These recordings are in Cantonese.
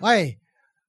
喂，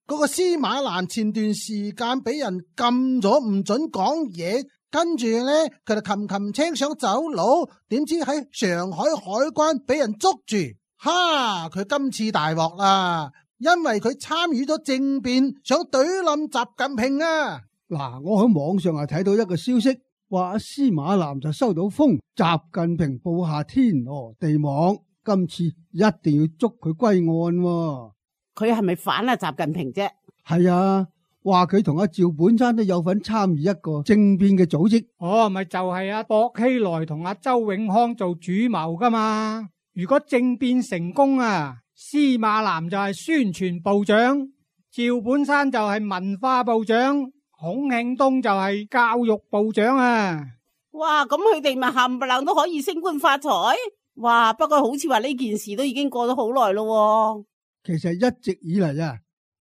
嗰個司馬南前段時間俾人禁咗唔准講嘢，跟住呢，佢就擒青想走佬，點知喺上海海關俾人捉住，哈！佢今次大鑊啦，因為佢參與咗政變，想懟冧習近平啊！嗱，我喺網上睇到一個消息，話司馬南就收到風，習近平布下天羅地網，今次一定要捉佢歸案喎。佢係咪反啊習近平啫？係啊，話佢同阿趙本山都有份參與一個政變嘅組織。哦，咪就係阿薄熙來同阿周永康做主謀噶嘛。如果政變成功啊，司馬南就係宣傳部長，趙本山就係文化部長，孔慶東就係教育部長啊。哇，咁佢哋咪冚唪唥都可以升官發財？哇，不過好似話呢件事都已經過咗好耐咯。其實一直以嚟啊，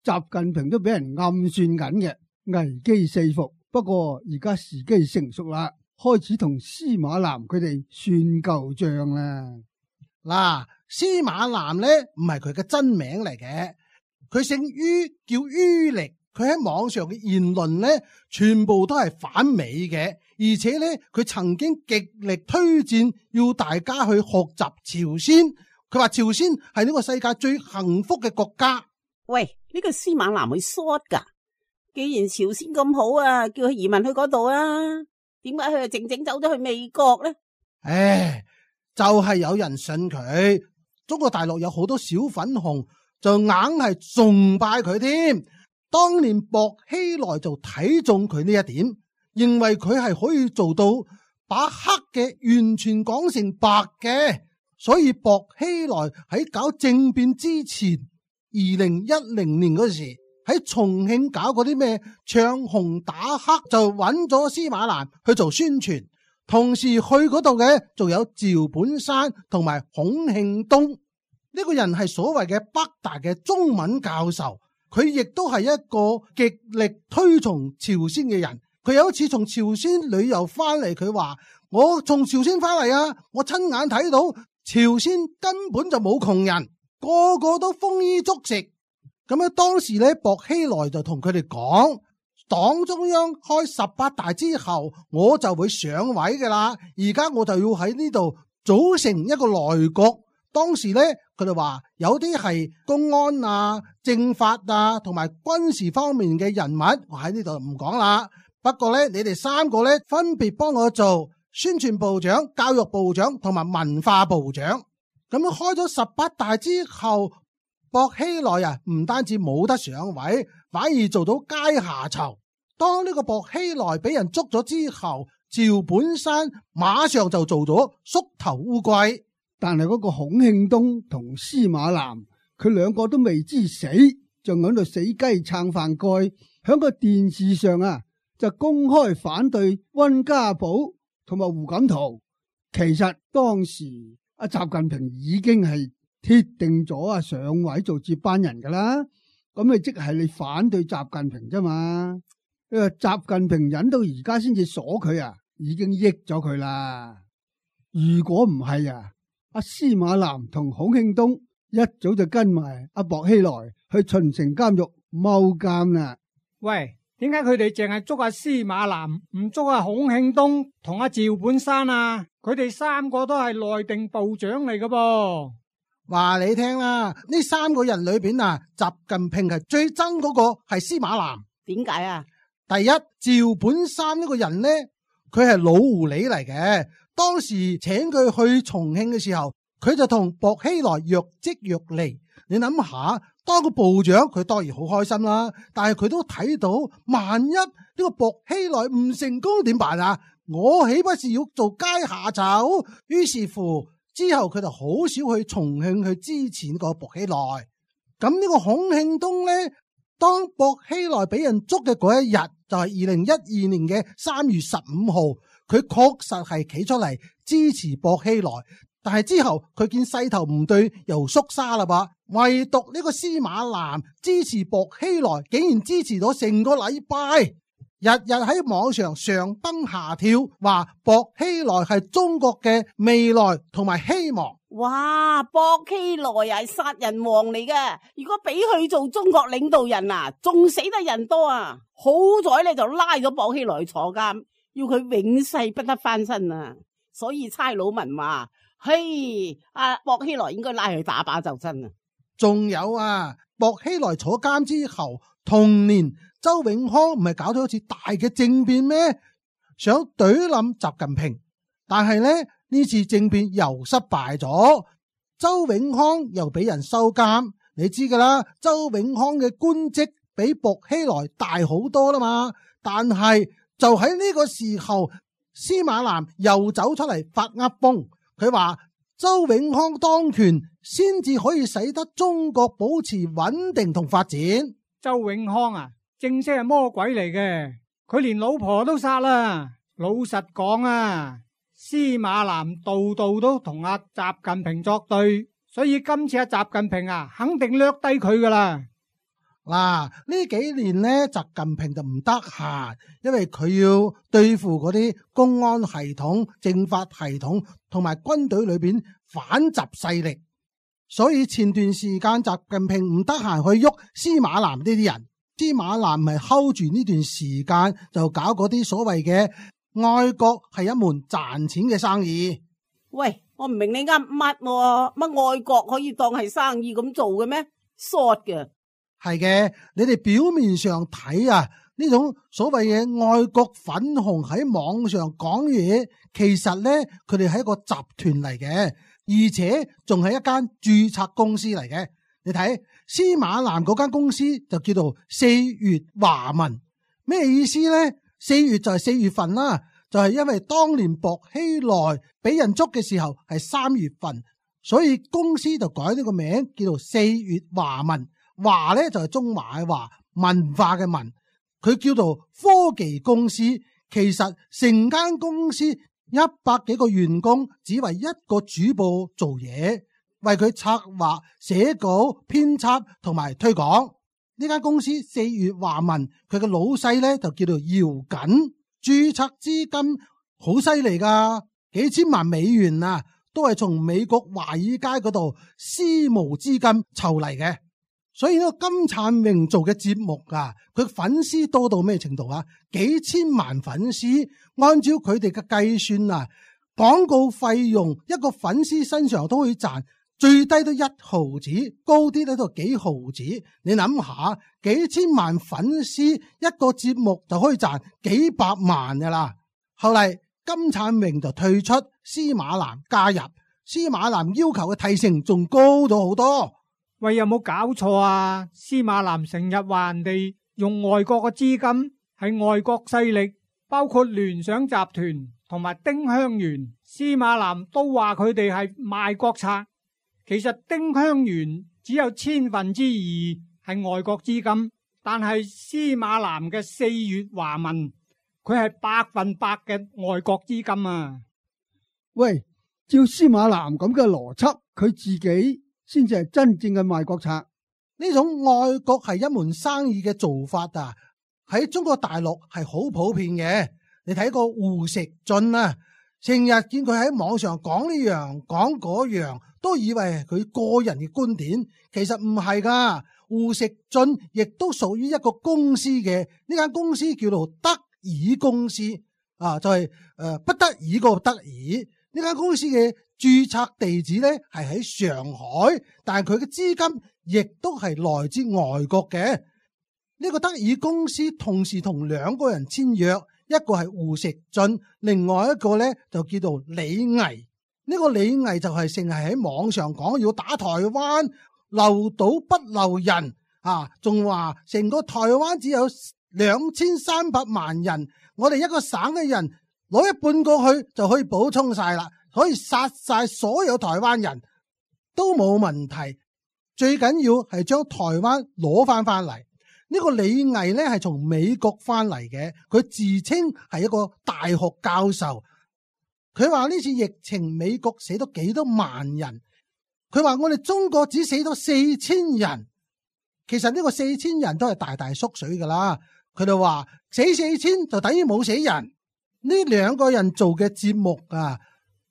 習近平都俾人暗算緊嘅，危機四伏。不過而家時機成熟啦，開始同司馬南佢哋算舊賬啦。嗱，司馬南呢唔係佢嘅真名嚟嘅，佢姓于，叫于力。佢喺網上嘅言論呢，全部都係反美嘅，而且呢，佢曾經極力推薦要大家去學習朝鮮。佢話朝鮮係呢個世界最幸福嘅國家。喂，呢個司馬南會 short 噶？既然朝鮮咁好啊，叫佢移民去嗰度啊？點解佢又靜靜走咗去美國呢？唉，就係有人信佢。中國大陸有好多小粉紅就硬係崇拜佢添。當年薄熙來就睇中佢呢一點，認為佢係可以做到把黑嘅完全講成白嘅。所以薄熙來喺搞政變之前，2010年嗰時喺重慶搞嗰啲咩唱紅打黑，就揾咗司馬南去做宣傳，同時去嗰度嘅仲有趙本山同埋孔慶東。呢個人係所謂嘅北大嘅中文教授，佢亦都係一個極力推崇朝鮮嘅人。佢有一次從朝鮮旅遊翻嚟，佢話我從朝鮮翻嚟啊，我親眼睇到朝鮮根本就冇窮人，個個都豐衣足食。咁樣當時咧，薄熙來就同佢哋講，黨中央開18大之後，我就會上位噶啦。而家我就要喺呢度組成一個內閣。當時咧，佢哋話有啲係公安啊、政法啊同埋軍事方面嘅人物，我喺呢度唔講啦。不過咧，你哋三個咧分別幫我做宣傳部長、教育部長同埋文化部長。咁樣開咗18大之後，薄熙來啊唔單止冇得上位，反而做到階下囚。當呢個薄熙來俾人捉咗之後，趙本山馬上就做咗縮頭烏龜。但係嗰個孔慶東同司馬南，佢兩個都未知死，仲喺度死雞撐飯蓋，響個電視上啊就公開反對溫家寶同埋胡錦濤。其實當時阿習近平已經係鐵定咗上位做接班人噶啦，咁你即係你反對習近平啫嘛？因為習近平忍到而家先至鎖佢啊，已經益咗佢啦。如果唔係啊，阿司馬南同孔慶東一早就跟埋阿薄熙來去秦城監獄踎監啦。喂，點解佢哋淨係捉阿司馬南，唔捉阿孔慶東同阿趙本山啊？佢哋三個都係內定部長嚟噶噃。話你聽啦，呢三個人裏邊啊，習近平係最憎嗰個係司馬南。點解啊？第一，趙本山呢個人呢，佢係老狐狸嚟嘅。當時請佢去重慶嘅時候，佢就同薄熙來若即若離。你諗下，當個部長佢當然好開心啦，但係佢都睇到，萬一呢個薄熙來唔成功點辦啊？我豈不是要做階下囚？於是乎之後佢就好少去重慶去支持呢個薄熙來。咁呢個孔慶東呢，當薄熙來俾人捉嘅嗰一日，就係2012年嘅3月15號，佢確實係企出嚟支持薄熙來，但係之後佢見勢頭唔對，又縮沙啦噃。唯獨呢個司馬南支持薄熙來，竟然支持咗成個禮拜。日日喺網上上蹦下跳，話薄熙來係中國嘅未來同埋希望。哇，薄熙來係殺人王嚟㗎，如果俾佢做中國領導人啊，仲死得人多啊！好在咧就拉咗薄熙來坐監，要佢永世不得翻身啊！所以差佬文話：嘿，薄熙來應該拉去打靶就真啊！仲有啊，薄熙來坐監之後，同年周永康唔係搞咗一次大嘅政變咩？想懟冧習近平，但係咧呢次政變又失敗咗，周永康又俾人收監。你知噶啦，周永康嘅官職比薄熙來大好多啦嘛。但係就喺呢個時候，司馬南又走出嚟發噏風，佢話周永康當權先至可以使得中國保持穩定同發展。周永康啊，正式係魔鬼嚟嘅，佢連老婆都殺啦。老實講啊，司馬南度度都同阿習近平作對，所以今次阿習近平啊，肯定掠低佢噶啦。嗱，呢幾年呢，習近平就唔得閒，因為佢要對付嗰啲公安系統、政法系統同埋軍隊裏邊反習勢力，所以前段時間習近平唔得閒去喐司馬南呢啲人，司馬南咪 hold 住呢段時間就搞嗰啲所謂嘅愛國係一門賺錢嘅生意。喂，我唔明你噏乜愛國可以當係生意咁做嘅咩？short 嘅。係嘅，你哋表面上睇啊，呢種所謂嘅愛國粉紅喺網上講嘢，其實呢，佢哋係一個集團嚟嘅，而且仲係一間註冊公司嚟嘅。你睇司馬南嗰間公司就叫做四月華文，咩意思呢？四月就係4月份啦，就係因為當年薄熙來俾人捉嘅時候係3月份，所以公司就改呢個名叫做四月華文。華咧就係中華嘅華，文化嘅文，佢叫做科技公司。其實成間公司100幾個員工，只為一個主播做嘢，為佢策劃、寫稿、編輯同埋推廣。呢間公司四月華文，佢嘅老細咧就叫做姚瑾，註冊資金好犀利噶，幾千萬美元啊，都係從美國華爾街嗰度私募資金籌嚟嘅。所以呢個金燦榮做嘅節目啊，佢粉絲多到咩程度啊？幾千萬粉絲，按照佢哋嘅計算啊，廣告費用一個粉絲身上都可以賺最低都1毫子，高啲咧都幾毫子。你諗下，幾千萬粉絲一個節目就可以賺幾百萬噶啦。後嚟金燦榮就退出，司馬南加入，司馬南要求嘅提成仲高咗好多。喂，有冇搞錯啊？司馬南成日話人哋用外國嘅資金，係外國勢力，包括聯想集團同埋丁香園，司馬南都話佢哋係賣國賊。其實丁香園只有2/1000係外國資金，但係司馬南嘅四月華文，佢係100%嘅外國資金啊！喂，照司馬南咁嘅邏輯，佢自己先至係真正嘅賣國賊。呢種愛國係一門生意嘅做法啊，喺中國大陸係好普遍嘅。你睇過胡錫進啊，成日見佢喺網上講呢樣講嗰樣，都以為係佢個人嘅觀點，其實唔係噶。胡錫進亦都屬於一個公司嘅，呢間公司叫做德爾公司啊，就係不得已個得已。呢間公司嘅註冊地址咧係喺上海，但係佢嘅資金亦都係來自外國嘅。呢個德爾公司同時同2個人簽約，一個係胡錫進，另外一個咧就叫做李毅。呢個李毅就係成日喺網上講要打台灣，漏島不漏人啊，仲話成個台灣只有2300萬人，我哋一個省嘅人攞一半過去就可以補充晒啦，可以殺晒所有台灣人都冇問題。最緊要係將台灣攞翻嚟。呢個李毅呢係從美國翻嚟嘅，佢自稱係一個大學教授。佢話呢次疫情美國死咗幾多萬人，佢話我哋中國只死咗4000人。其實呢個4000人都係大大縮水噶啦。佢就話死4000就等於冇死人。呢兩個人做嘅節目啊，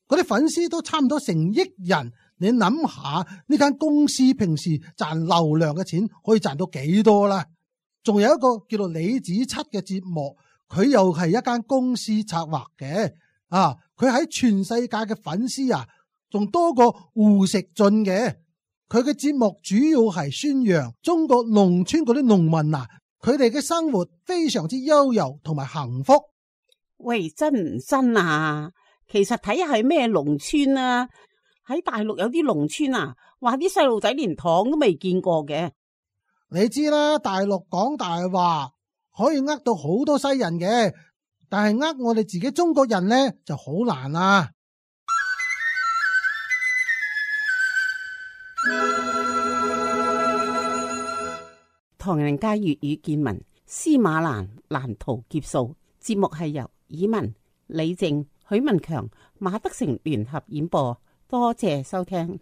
嗰啲粉絲都差唔多成億人。你諗下呢間公司平時賺流量嘅錢可以賺到幾多啦？仲有一個叫做李子柒嘅節目，佢又係一間公司策劃嘅啊！佢喺全世界嘅粉絲啊，仲多過胡錫進嘅。佢嘅節目主要係宣揚中國農村嗰啲農民啊，佢哋嘅生活非常之悠游同埋幸福。喂，真唔真啊？其實睇下係咩農村啊？喺大陸有啲農村啊，話啲細路仔連糖都未見過嘅。你知啦，大陸講大話可以呃到好多西人嘅，但係呃我哋自己中國人呢就好難啦。唐人街粵語見聞，司馬蘭難逃劫數。節目係由以文、李靜、許文強、馬德成聯合演播，多謝收聽。